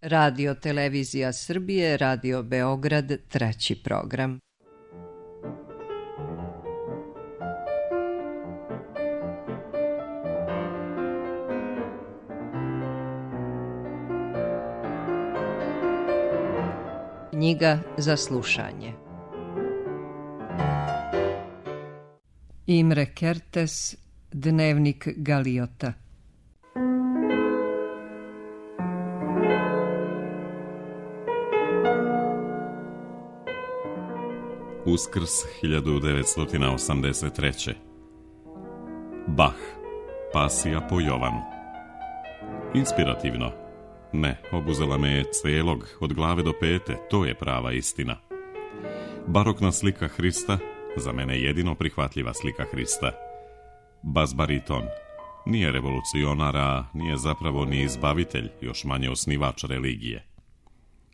Radio Televizija Srbije, Radio Beograd, treći program. Knjiga za slušanje. Imre Kertész, Dnevnik Galiota. Uskrs 1983. Bach, Pasija po Jovanu. Inspirativno. Ne, obuzela me je celog, od glave do pete, to je prava istina. Barokna slika Hrista, za mene jedino prihvatljiva slika Hrista. Bas bariton, nije revolucionar, a nije zapravo ni izbavitelj, još manje osnivač religije.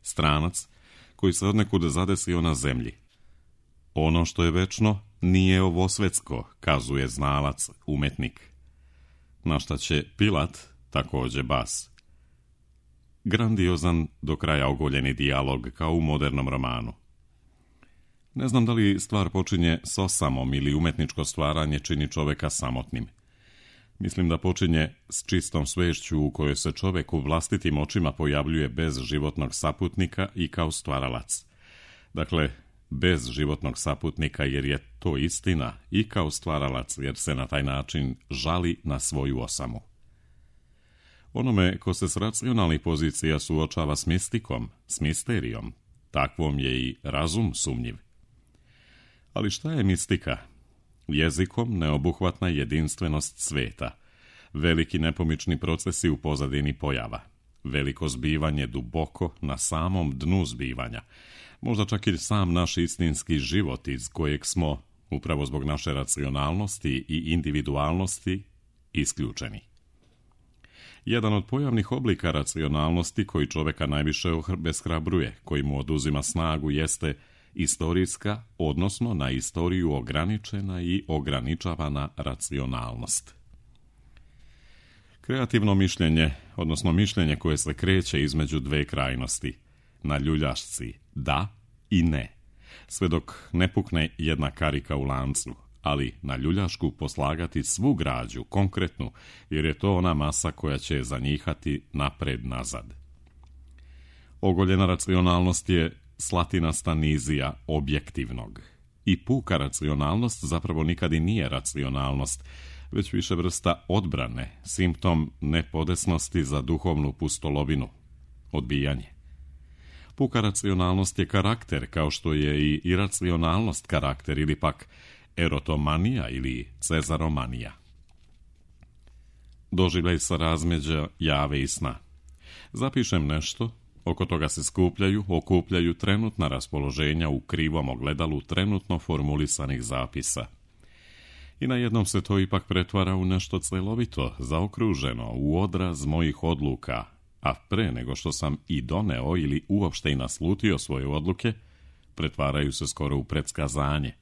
Stranac, koji se odnekud zadesio na zemlji. Ono što je večno nije ovo svetsko, kazuje znalac, umetnik. Na šta će Pilat, također bas. Grandiozan, do kraja ogoljeni dijalog, kao u modernom romanu. Ne znam da li stvar počinje s osamom ili umetničko stvaranje čini čoveka samotnim. Mislim da počinje s čistom svešću u kojoj se čovek u vlastitim očima pojavljuje bez životnog saputnika i kao stvaralac. Dakle, bez životnog saputnika jer je to istina i kao stvaralac jer se na taj način žali na svoju osamu. Onome ko se s racionalnih pozicija suočava s mistikom, s misterijom, takvom je i razum sumnjiv. Ali šta je mistika? Jezikom neobuhvatna jedinstvenost sveta, veliki nepomični procesi u pozadini pojava, veliko zbivanje duboko na samom dnu zbivanja, možda čak i sam naš istinski život iz kojeg smo, upravo zbog naše racionalnosti i individualnosti, isključeni. Jedan od pojavnih oblika racionalnosti koji čoveka najviše obeshrabruje, koji mu oduzima snagu, jeste istorijska, odnosno na istoriju ograničena i ograničavana racionalnost. Kreativno mišljenje, odnosno mišljenje koje se kreće između dve krajnosti, na ljuljašci da i ne, sve dok ne pukne jedna karika u lancu, ali na ljuljašku poslagati svu građu, konkretnu, jer je to ona masa koja će zanjihati napred-nazad. Ogoljena racionalnost je slatinasta nizija objektivnog. I puka racionalnost zapravo nikad i nije racionalnost, već više vrsta odbrane, simptom nepodesnosti za duhovnu pustolovinu, odbijanje. Puka racionalnost je karakter, kao što je i iracionalnost karakter, ili pak erotomanija ili cezaromanija. Doživljaj sa razmeđa jave i sna. Zapišem nešto, oko toga se okupljaju trenutna raspoloženja u krivom ogledalu trenutno formulisanih zapisa. I na jednom se to ipak pretvara u nešto celovito, zaokruženo, u odraz mojih odluka, a pre nego što sam i doneo ili uopšte i naslutio svoje odluke, pretvaraju se skoro u predskazanje.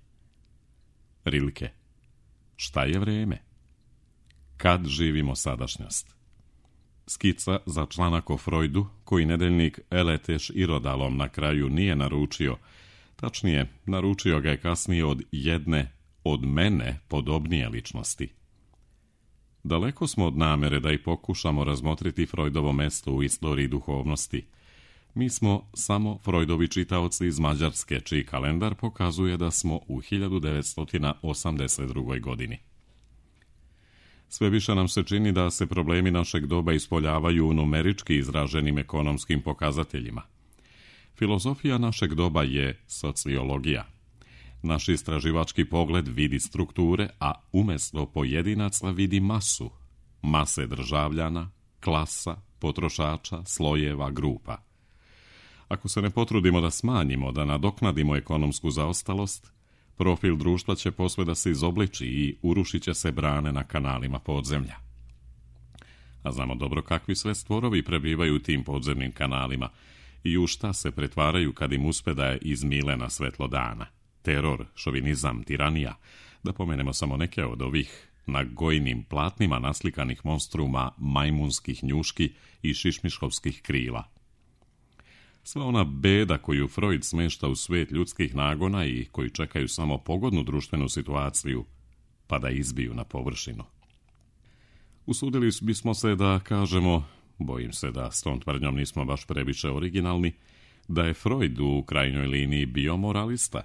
Rilke. Šta je vreme? Kad živimo sadašnjost? Skica za članak o Freudu, koji nedeljnik Eleteš Irodalom na kraju nije naručio, tačnije, naručio ga je kasnije od jedne, od mene podobnije ličnosti. Daleko smo od namere da i pokušamo razmotriti Freudovo mesto u istoriji duhovnosti. Mi smo samo Freudovi čitaoci iz Mađarske, čiji kalendar pokazuje da smo u 1982. godini. Sve više nam se čini da se problemi našeg doba ispoljavaju u numerički izraženim ekonomskim pokazateljima. Filozofija našeg doba je sociologija. Naš istraživački pogled vidi strukture, a umjesto pojedinaca vidi masu. Mase državljana, klasa, potrošača, slojeva, grupa. Ako se ne potrudimo da smanjimo, da nadoknadimo ekonomsku zaostalost, profil društva će posve da se izobliči i urušit će se brane na kanalima podzemlja. A znamo dobro kakvi sve stvorovi prebivaju u tim podzemnim kanalima i u šta se pretvaraju kad im uspe da je izmile na svetlo dana. Teror, šovinizam, tiranija, da pomenemo samo neke od ovih na gojnim platnima naslikanih monstruma majmunskih njuški i šišmiškovskih krila. Sva ona beda koju Freud smešta u svet ljudskih nagona i koji čekaju samo pogodnu društvenu situaciju, pa da izbiju na površinu. Usudili bismo se da kažemo, bojim se da s tom tvrdnjom nismo baš previše originalni, da je Freud u krajnjoj liniji bio moralista.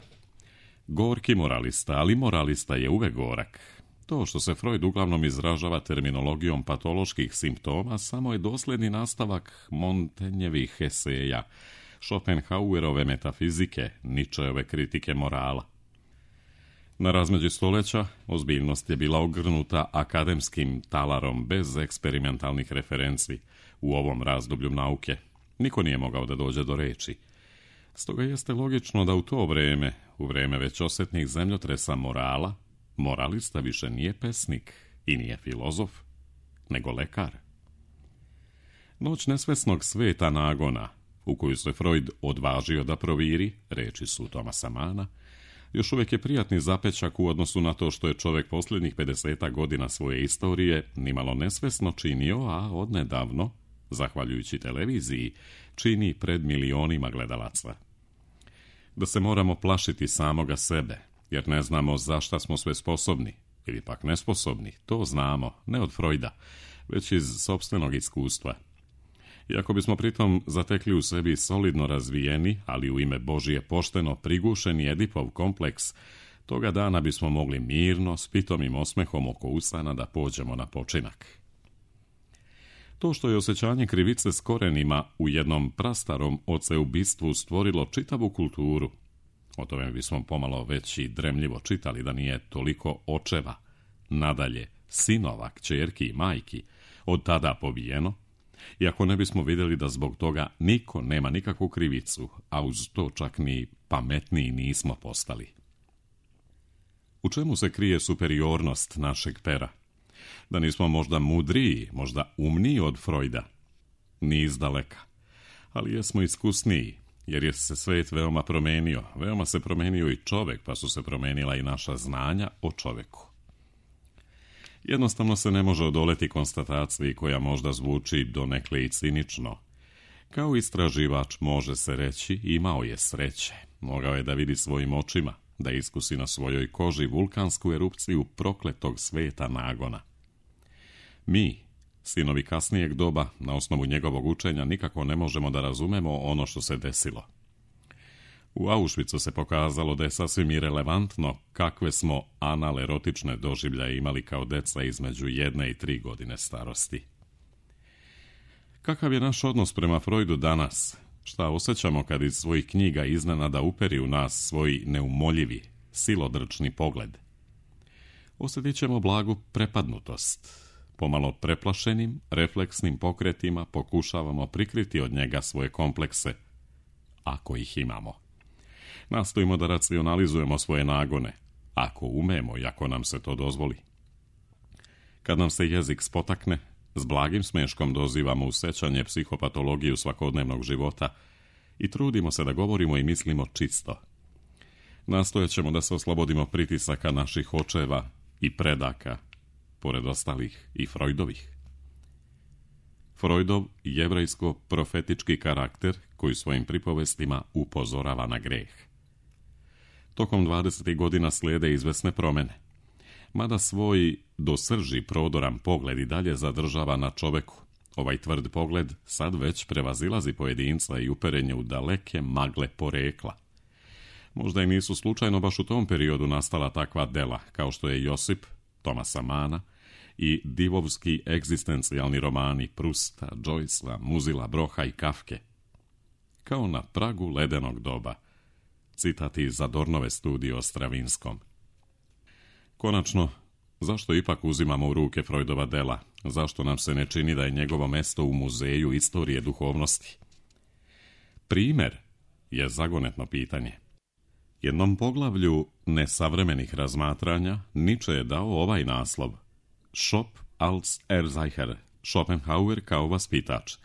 Gorki moralista, ali moralista je uvek gorak. To što se Freud uglavnom izražava terminologijom patoloških simptoma samo je dosljedni nastavak Montagnjevih eseja, Schopenhauerove metafizike, Nietzscheove kritike morala. Na razmeđi stoljeća ozbiljnost je bila ogrnuta akademskim talarom bez eksperimentalnih referenci u ovom razdoblju nauke. Niko nije mogao da dođe do reči. Stoga jeste logično da u to vreme, u vreme već osjetnih zemljotresa morala, moralista više nije pesnik i nije filozof, nego lekar. Noć nesvesnog sveta nagona, u koju se Freud odvažio da proviri, reči su Thomasa Manna, još uvijek je prijatni zapečak u odnosu na to što je čovjek posljednjih 50 godina svoje istorije nimalo nesvesno činio, a odnedavno, zahvaljujući televiziji, čini pred milionima gledalaca. Da se moramo plašiti samoga sebe, jer ne znamo za šta smo sve sposobni, ili pak nesposobni, to znamo, ne od Freuda, već iz sopstvenog iskustva. Iako bismo pritom zatekli u sebi solidno razvijeni, ali u ime Božije pošteno prigušeni Edipov kompleks, toga dana bismo mogli mirno, s pitomim osmehom oko usana da pođemo na počinak. To što je osjećanje krivice s korenima u jednom prastarom oceubistvu stvorilo čitavu kulturu, o tome bismo pomalo već i dremljivo čitali da nije toliko očeva, nadalje sinova, kćerki i majki, od tada pobijeno, iako ne bismo vidjeli da zbog toga niko nema nikakvu krivicu, a uz to čak ni pametniji nismo postali. U čemu se krije superiornost našeg pera? Da nismo možda mudriji, možda umniji od Freuda? Ni izdaleka. Ali jesmo iskusniji, jer je se svet veoma promenio. Veoma se promenio i čovjek, pa su se promenila i naša znanja o čovjeku. Jednostavno se ne može odoleti konstataciji koja možda zvuči donekle i cinično. Kao istraživač može se reći, imao je sreće. Mogao je da vidi svojim očima, da iskusi na svojoj koži vulkansku erupciju prokletog sveta nagona. Mi, sinovi kasnijeg doba, na osnovu njegovog učenja nikako ne možemo da razumemo ono što se desilo. U Auschwitzu se pokazalo da je sasvim irelevantno kakve smo anal-erotične doživljaje imali kao deca između 1 i 3 godine starosti. Kakav je naš odnos prema Freudu danas? Šta osjećamo kad iz svojih knjiga iznenada uperi u nas svoj neumoljivi, silodrčni pogled? Osjetit ćemo blagu prepadnutost. Pomalo preplašenim, refleksnim pokretima pokušavamo prikriti od njega svoje komplekse, ako ih imamo. Nastojimo da racionalizujemo svoje nagone, ako umemo i ako nam se to dozvoli. Kad nam se jezik spotakne, s blagim smeškom dozivamo u sećanje psihopatologiju svakodnevnog života i trudimo se da govorimo i mislimo čisto. Nastojat ćemo da se oslobodimo pritisaka naših očeva i predaka, pored ostalih i Freudovih. Freudov jevrejsko-profetički karakter koji svojim pripovestima upozorava na greh. Tokom 20. godina slijede izvesne promjene. Mada svoj do srži prodoran pogled i dalje zadržava na čoveku, ovaj tvrd pogled sad već prevazilazi pojedinca i uperenje u daleke magle porekla. Možda i nisu slučajno baš u tom periodu nastala takva dela, kao što je Josip, Thomasa Manna i divovski egzistencijalni romani Prusta, Joycea, Muzila, Broha i Kafke. Kao na pragu ledenog doba. Citat iz Adornove studije o Stravinskom. Konačno, zašto ipak uzimamo u ruke Freudova dela? Zašto nam se ne čini da je njegovo mesto u muzeju istorije duhovnosti? Primjer je zagonetno pitanje. Jednom poglavlju nesavremenih razmatranja Nietzsche je dao ovaj naslov: Schop als Erzeicher, Schopenhauer kao vaspitač.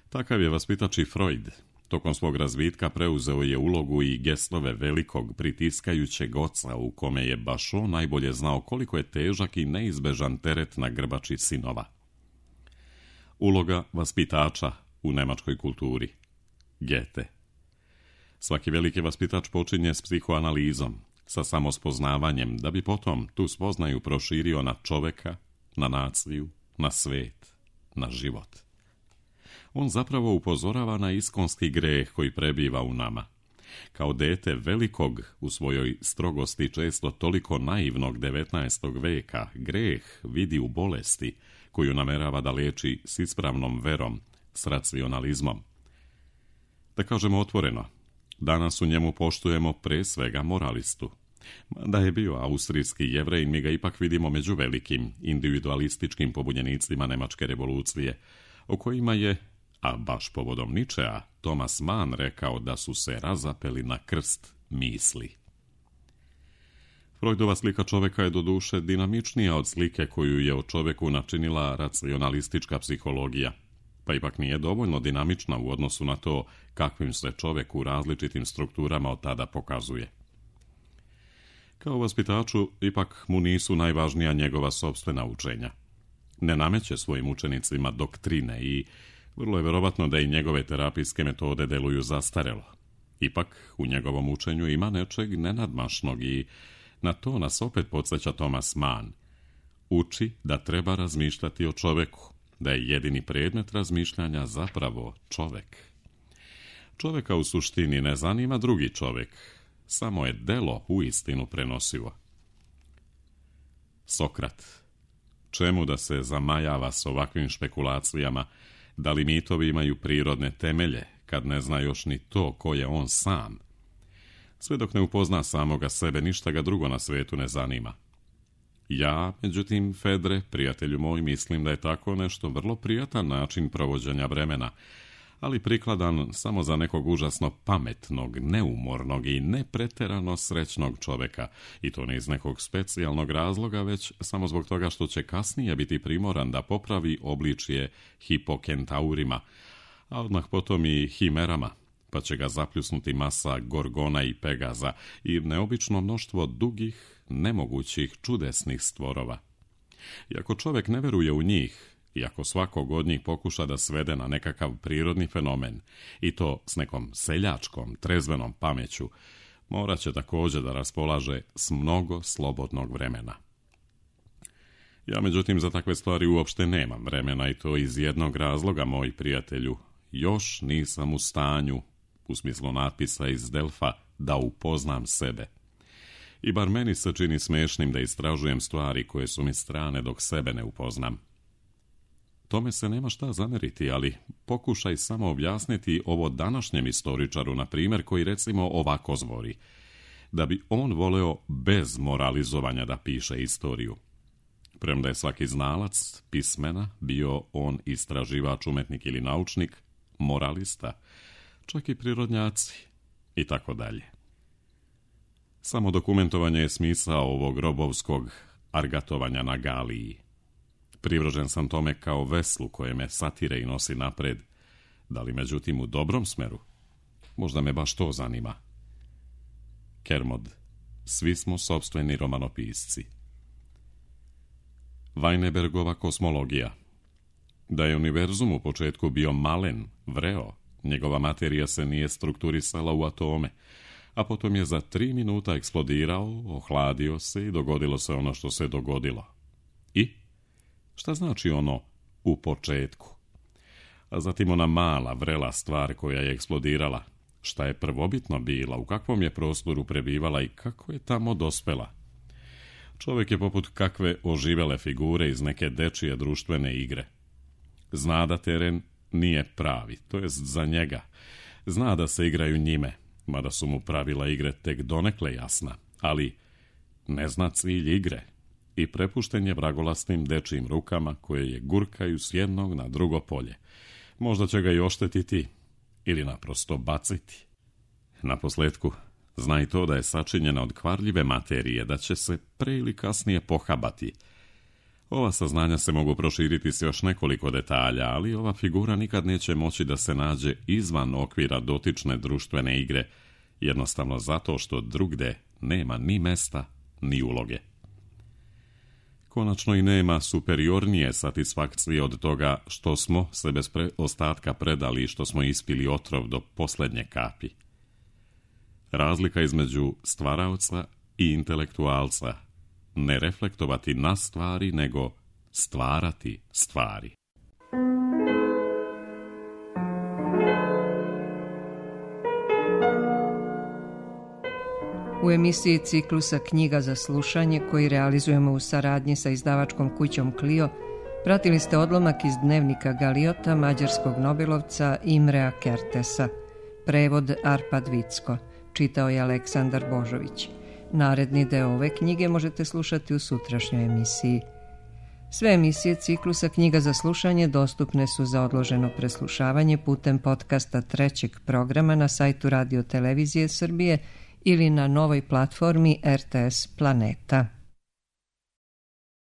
Takav je vaspitač i Freud. Tokom svog razvitka preuzeo je ulogu i gestove velikog pritiskajućeg oca u kome je baš on najbolje znao koliko je težak i neizbežan teret na grbači sinova. Uloga vaspitača u nemačkoj kulturi. Goethe. Svaki veliki vaspitač počinje s psihoanalizom, sa samospoznavanjem, da bi potom tu spoznaju proširio na čoveka, na naciju, na svet, na život. On zapravo upozorava na iskonski greh koji prebiva u nama. Kao dete velikog, u svojoj strogosti često toliko naivnog 19. veka, greh vidi u bolesti koju namerava da leči s ispravnom verom, s racionalizmom. Da kažemo otvoreno, danas u njemu poštujemo pre svega moralistu. Da je bio austrijski Jevrej, mi ga ipak vidimo među velikim individualističkim pobunjenicima Nemačke revolucije, o kojima je, a baš povodom Ničea, Thomas Mann rekao da su se razapeli na krst misli. Freudova slika čoveka je doduše dinamičnija od slike koju je o čoveku načinila racionalistička psihologija, pa ipak nije dovoljno dinamična u odnosu na to kakvim se čovek u različitim strukturama od tada pokazuje. Kao vaspitaču, ipak mu nisu najvažnija njegova sopstvena učenja. Ne nameće svojim učenicima doktrine i vrlo je verovatno da i njegove terapijske metode deluju zastarelo. Ipak, u njegovom učenju ima nečeg nenadmašnog i na to nas opet podsjeća Thomas Mann. Uči da treba razmišljati o čoveku, da je jedini predmet razmišljanja zapravo čovek. Čoveka u suštini ne zanima drugi čovek, samo je delo uistinu prenosivo. Sokrat. Čemu da se zamajava s ovakvim špekulacijama, da li mitovi imaju prirodne temelje, kad ne zna još ni to ko je on sam? Sve dok ne upozna samoga sebe, ništa ga drugo na svetu ne zanima. Ja, međutim, Fedre, prijatelju moj, mislim da je tako nešto vrlo prijatan način provođenja vremena, ali prikladan samo za nekog užasno pametnog, neumornog i nepreterano srećnog čoveka, i to ne iz nekog specijalnog razloga, već samo zbog toga što će kasnije biti primoran da popravi obličje hipokentaurima, a odmah potom i himerama, pa će ga zapljusnuti masa Gorgona i Pegaza i neobično mnoštvo dugih, nemogućih, čudesnih stvorova. I ako čovek ne veruje u njih, i ako svakog od njih pokuša da svede na nekakav prirodni fenomen, i to s nekom seljačkom, trezvenom pameću, morat će također da raspolaže s mnogo slobodnog vremena. Ja, međutim, za takve stvari uopšte nemam vremena, i to iz jednog razloga, moj prijatelju. Još nisam u stanju, u smislu natpisa iz Delfa, da upoznam sebe. I bar meni se čini smešnim da istražujem stvari koje su mi strane dok sebe ne upoznam. Tome se nema šta zameriti, ali pokušaj samo objasniti ovo današnjem istoričaru, na primjer, koji recimo ovako zvori, da bi on voleo bez moralizovanja da piše istoriju. Premda je svaki znalac pismena, bio on istraživač, umetnik ili naučnik, moralista, čak i prirodnjaci i tako dalje. Samo dokumentovanje je smisao ovog robovskog argatovanja na Galiji. Privržen sam tome kao veslu koje me satire i nosi napred, da li međutim u dobrom smeru? Možda me baš to zanima. Kermod, svi smo sopstveni romanopisci. Weinbergova kosmologija. Da je univerzum u početku bio malen, vreo, njegova materija se nije strukturisala u atome, a potom je za 3 minuta eksplodirao, ohladio se i dogodilo se ono što se dogodilo. I? Šta znači ono u početku? A zatim ona mala, vrela stvar koja je eksplodirala. Šta je prvobitno bila, u kakvom je prostoru prebivala i kako je tamo dospela? Čovjek je poput kakve oživele figure iz neke dečije društvene igre. Zna da teren nije pravi, to jest za njega. Zna da se igraju njime, mada su mu pravila igre tek donekle jasna, ali ne zna cilj igre i prepušten je vragolastnim dečijim rukama koje je gurkaju s jednog na drugo polje. Možda će ga i oštetiti ili naprosto baciti. Naposljetku, zna i to da je sačinjena od kvarljive materije, da će se pre ili kasnije pohabati. Ova saznanja se mogu proširiti s još nekoliko detalja, ali ova figura nikad neće moći da se nađe izvan okvira dotične društvene igre, jednostavno zato što drugde nema ni mesta, ni uloge. Konačno i nema superiornije satisfakcije od toga što smo se bez ostatka predali i što smo ispili otrov do posljednje kapi. Razlika između stvaraoca i intelektualca, ne reflektovati na stvari, nego stvarati stvari. U emisiji ciklusa Knjiga za slušanje, koji realizujemo u saradnji sa izdavačkom kućom Clio, pratili ste odlomak iz dnevnika Galiota mađarskog nobelovca Imrea Kertesa. Prevod Arpad Vicko. Čitao je Aleksandar Božović. Naredni deo ove knjige možete slušati u sutrašnjoj emisiji. Sve emisije ciklusa Knjiga za slušanje dostupne su za odloženo preslušavanje putem podcasta trećeg programa na sajtu Radio Televizije Srbije ili na novoj platformi RTS Planeta.